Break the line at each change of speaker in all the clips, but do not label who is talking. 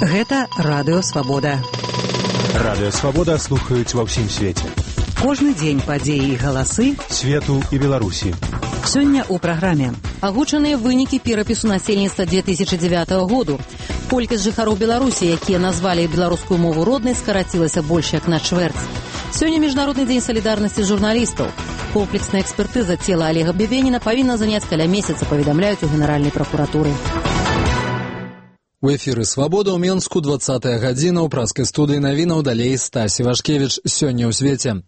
Гэта Радыё Свабода.
Радыё Свабода слухаюць ва ўсім свеце.
Кожны дзень падзеі і галасы
свету і Беларусі.
Сёння ў праграме агучаныя вынікі перапісу насельніцтва 2009 году. Колькасць жыхароў Беларусі, якія назвалі беларускую мову роднай, скарацілася больш як на чвэрць. Сёння міжнародны дзень салідарнасці журналістаў. Комплексная экспертыза цела Олега Бебеніна павінна заняць каля месяца, паведамляюць у Генеральнай пракуратуры.
У эфіры «Свабода» ў Менску, 20-я гадзіна, ў праскай студыі навінаў, далей Стась Івашкевіч. Сёння ў свеце.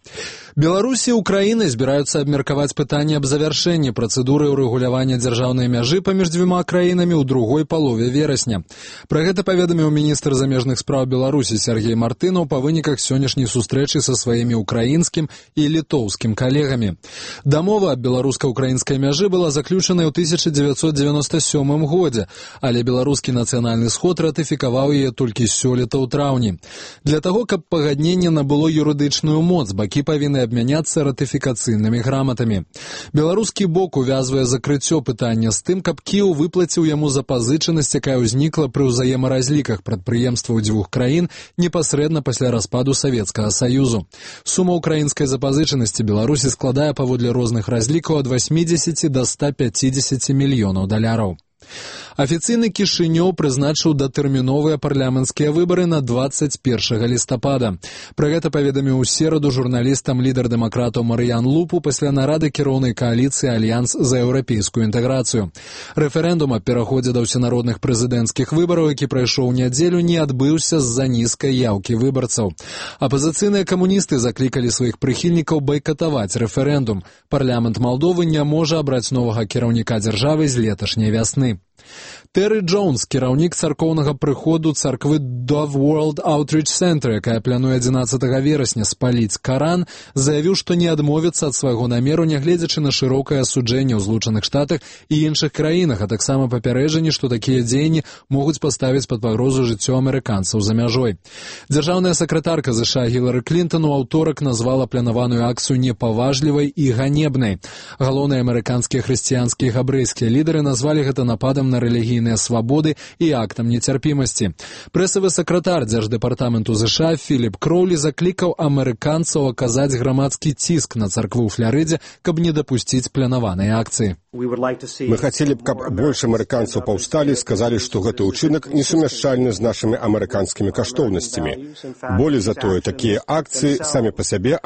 Беларусі і Украіны збіраюцца абмеркаваць пытанне аб завяршэнні працэдуры ўрэгулявання дзяржаўнай мяжы паміж дзвюма краінамі ў другой палове верасня. Пра гэта паведаміў міністр замежных спраў Беларусі Сергей Мартынаў па выніках сённяшняй сустрэчы са сваімі украінскім і літоўскім калегамі. Дамова аб беларуска-украінскай мяжы была заключаная ў 1997 годзе, але беларускі нацыянальны сход ратыфікаваў яе толькі сёлета ў траўні. Для таго, каб пагадненне набыло юрыдычную моц, бакі павінны абмяняцца ратыфікацыйнымі граматамі. Беларускі бок увязвае закрыццё пытання з тым, каб Кіеў выплаціў яму запазычанасць, якая ўзнікла пры ўзаемаразліках прадпрыемстваў дзвюх краін непасрэдна пасля распаду Савецкага Саюзу. Сума ўкраінскай запазычанасці Беларусі складае паводле розных разлікаў ад 80 до 150 мільёнаў даляраў. Афіцыйны Кішынёў прызначыў датэрміновыя парламенцкія выбары на 21 лістапада. Пра гэта паведаміў у сераду журналістам лідар дэмакратаў Марыян Лупу пасля нарады кіроўнай кааліцыі «Альянс за еўрапейскую інтэграцыю». Рэферэндум аб пераходзе да ўсенародных прэзідэнцкіх выбараў, які прайшоў у нядзелю, не адбыўся з-за нізкай яўкі выбарцаў. Апазіцыйныя камуністы заклікалі сваіх прыхільнікаў байкатаваць рэферэндум. Парламент Малдовы не можа абраць новага кіраўніка дзяржавы з леташняй вясны. Тэры Джонс, кіраўнік царкоўнага прыходу царквы Dove World Outreach Center, якая плануе 11 верасня спаліць Каран, заявіў, што не адмовіцца ад свайго намеру, нягледзячы на шырокае асуджэнне ў Злучаных Штатах і іншых краінах, а таксама папярэджанне, што такія дзеянні могуць паставіць пад пагрозу жыццё амерыканцаў за мяжой. Дзяржаўная сакратарка США Гілары Клінтон у аўторак назвала планаваную акцыю непаважлівай і ганебнай. Галоўныя амерыканскія хрысціянскія і габрэйскія лідары назвалі гэта нападам на рэлігійныя свабоды і актам нецярпімасці. Прэсавы сакратар дзярждэпартаменту США Філіп Кроулі заклікаў амерыканцаў аказаць грамадскі ціск на царкву ў Фларыдзе, каб не дапусціць планаваныя акцыі.
Мы хацелі б, каб больш амерыканцаў паўсталі і сказалі, што гэты ўчынак несумяшчальны з нашымі амерыканскімі каштоўнасцямі. Болей за тое, такія акцыі самі па сабе